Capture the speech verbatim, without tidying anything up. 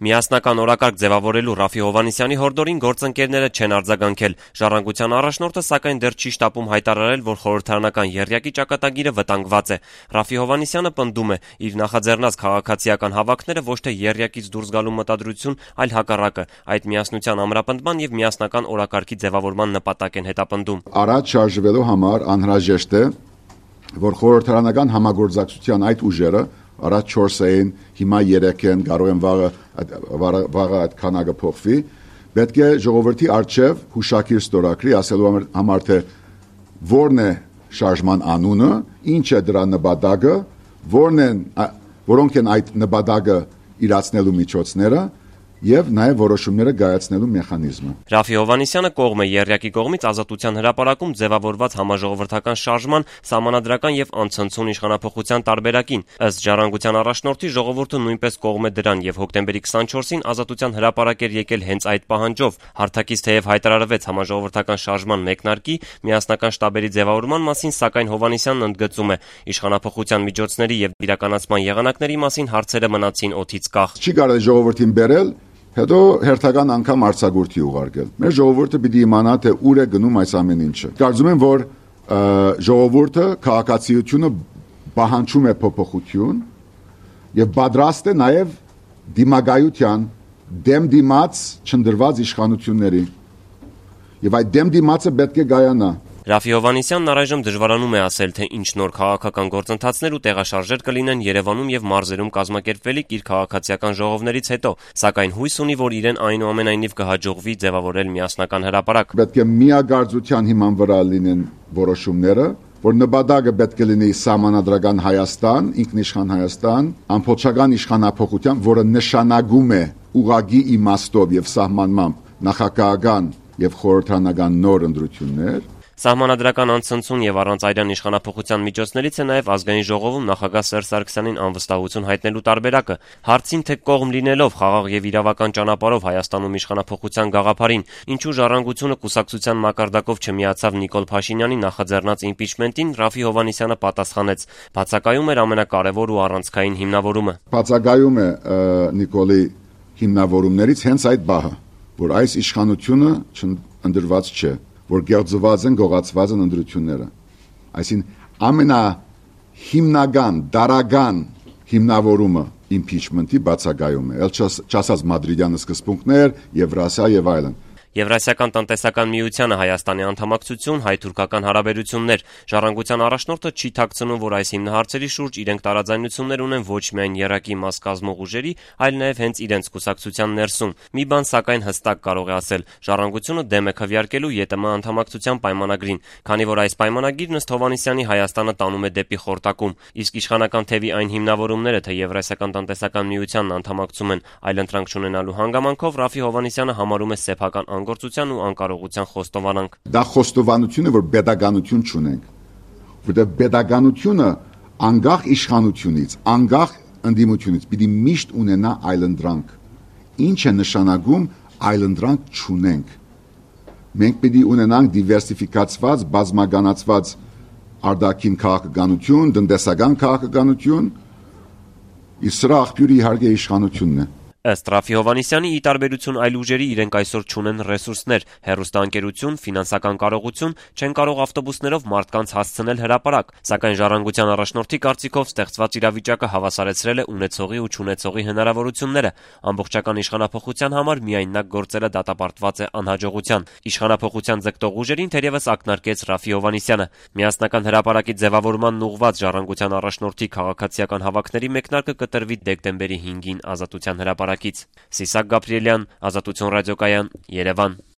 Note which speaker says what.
Speaker 1: Միասնական օրակարգ ձևավորելու Ռաֆի Հովհաննիսյանի հորդորին գործընկերները չեն արձագանքել։ Ժառանգության առաջնորդը սակայն դեռ չի շտապում հայտարարել, որ խորհրդարանական եռյակի ճակատագիրը վտանգված է։ Ռաֆի Հովհաննիսյանը պնդում է, իր նախաձեռնած քաղաքացիական հավաքները ոչ թե եռյակից դուրս գալու մտադրություն, այլ հակառակը, այդ միասնության ամրապնդման եւ միասնական օրակարգի ձևավորման նպատակ են հետապնդում։
Speaker 2: Առաջ շարժվելու համար անհրաժեշտ է, որ խորհրդարանական համագործակցության այդ ուժերը առաջ չորս էին, հիմա երեք են, կարող են վաղը, վաղը այդ քանակը փոխվի, պետք է ժողովրդի առջև հուշագիր ստորագրի, ասելու համար թե որն է շարժման անունը, ինչ է դրա նպատակը, որն են, որոնք են այդ նպատակը իրացնելու միջոցները եւ նաեւ որոշումները կայացնելու մեխանիզմը։
Speaker 1: Ռաֆի Հովհաննիսյանը կողմ է եռյակի կողմից Ազատության հրապարակում ձևավորված համաժողովրդական շարժման, սահմանադրական եւ անցնցուն իշխանափոխության տարբերակին։ Ըստ Ժառանգության առաջնորդի, ժողովուրդը նույնպես կողմ է դրան եւ հոկտեմբերի քսանչորսին Ազատության հրապարակ էր եկել հենց այդ պահանջով։ Հարթակից թեև հայտարարվեց համաժողովրդական շարժման մեկնարկի, միասնական շտաբերի ձևավորման մասին, սակայն Հովհաննիսյանն ընդգծում է, իշխանափոխության միջոցների եւ իրականացման եղանակների մասին հարցերը մնացին օդից կախ։
Speaker 2: Չի կարելի ժողովրդին բերել հետո հերթական անգամ արձակուրդի ուղարկել։ Մեր ժողովուրդը պիտի իմանա, թե ուր է գնում այս ամեն ինչը։ Կարծում եմ, որ ժողովուրդը քաղաքացիությունը պահանջում է փոփոխություն եւ պատրաստ է նաեւ դիմագայության դեմ դիմաց չնդրված իշխանությունների։ Եվ այդ դեմ դիմացը պետք է գայանա։
Speaker 1: Ռաֆի Հովհաննիսյանն առայժմ դժվարանում է ասել, թե ինչ նոր քաղաքական գործընթացներ ու տեղաշարժեր կլինեն Երևանում եւ մարզերում կազմակերպվելիք իր քաղաքացիական ժողովներից հետո, սակայն հույս ունի, որ իրեն այնուամենայնիվ կհաջողվի ձևավորել միասնական հրապարակ։
Speaker 2: Պետք է միագործության հիման վրա լինեն որոշումները, որ նպատակը պետք է լինի սահմանադրական Հայաստան, ինքնիշխան Հայաստան, ամբողջական իշխանափոխության, որը նշանակում է ուղղակի իմաստով եւ սահմանմամբ նախագահական եւ խորհրդարանական նոր ընտրություններ։
Speaker 1: Սահմանադրական անցնցուն եւ առանց այրան իշխանափոխության միջոցներից է նաեւ ազգային ժողովում նախագահ Սերժ Սարգսյանին անվստահություն հայտնելու տարբերակը։ Հարցին թե կողմ լինելով խաղաղ եւ իրավական ճանապարհով Հայաստանում իշխանափոխության գաղափարին, ինչու Ժառանգությունը կուսակցության մակարդակով չմիացավ Նիկոլ Փաշինյանի նախաձեռնած իմպիչմենտին, Ռաֆի Հովհաննիսյանը պատասխանեց. բացակայում էր ամենակարևոր ու առանցքային հիմնավորումը։
Speaker 2: Բացակայում է Նիկոլի հիմնավորումներից հենց այդ բահը, որ այս իշխանությունը չընդրված չէ, որ գեղձված են, գողացված են ընտրությունները։ Այսինքն ամենահիմնական, դարական հիմնավորումը impeachment-ի բացակայում է։ Էլ չասած մադրիդյան սկզբունքներ, Եվրասիա եւ այլն։
Speaker 1: Եվրասիական տնտեսական միությանը Հայաստանի անդամակցություն, հայ-թուրքական հարաբերություններ։ Ժառանգության առաջնորդը չի թաքցնում, որ այս հիմնահարցերի շուրջ իրենք տարաձայնություններ ունեն ոչ միայն եռակի մաս կազմող ուժերի, այլ նաև հենց իրենց կուսակցության ներսում։ Մի բան սակայն հստակ կարող է ասել. Ժառանգությունը դեմ է քվեարկելու ԵՏՄ անդամակցության պայմանագրին, քանի որ այս պայմանագիրն ըստ Հովհաննիսյանի Հայաստանը տանում է դեպի խորտակում, իսկ իշխանական թևի այն հիմնավորումները, թե Եվրասիական տնտեսական միությանն անդամակցում են այլընտրանք չունենալու հանգամանքով, Ռաֆի Հովհաննիսյանը համարում է սեփական անգործության ու անկարողության խոստովանանք։
Speaker 2: Դա խոստովանություն է, որ pedagogiություն չունենք, որտեղ pedagogiությունը անկախ իշխանությունից, անկախ ընդդիմությունից պիտի միշտ ունենա այլընտրանք։ Ինչ է նշանակում այլընտրանք չունենք։ Մենք պիտի ունենանք դիվերսիֆիկացված, բազմագանացված արտաքին քաղաքականություն, տնտեսական քաղաքականություն, իսկ սրա աղբյուրը իհարկե իշխանությունն է։
Speaker 1: Ըստ Ռաֆի Հովհաննիսյանի, ի տարբերություն այլ ուժերի, իրենք այսօր չունեն ռեսուրսներ, հեռուստաընկերություն, ֆինանսական կարողություն, չեն կարող ավտոբուսներով մարդկանց հասցնել հրապարակ, սակայն Ժառանգության առաջնորդի կարծիքով ստեղծված իրավիճակը հավասարեցրել է ունեցողի ու չունեցողի հնարավորությունները։ Ամբողջական իշխանափոխության համար միայն նա գործելը դատապարտված է անհաջողության։ Իշխանափոխության ձգտող ուժերին թերևս ակնարկեց Ռաֆի Հովհաննիսյանը։ Միասնական հրապարակի ձևավորմանն ուղղված Ժառանգության առաջնորդի քաղաքացիական հավաքների մեկնարկը կտրվի դեկտեմբերի հինգին Ազատության հրապարակ Սիսակ Գաբրիելյան, Ազատություն ռադիոկայան, Երևան։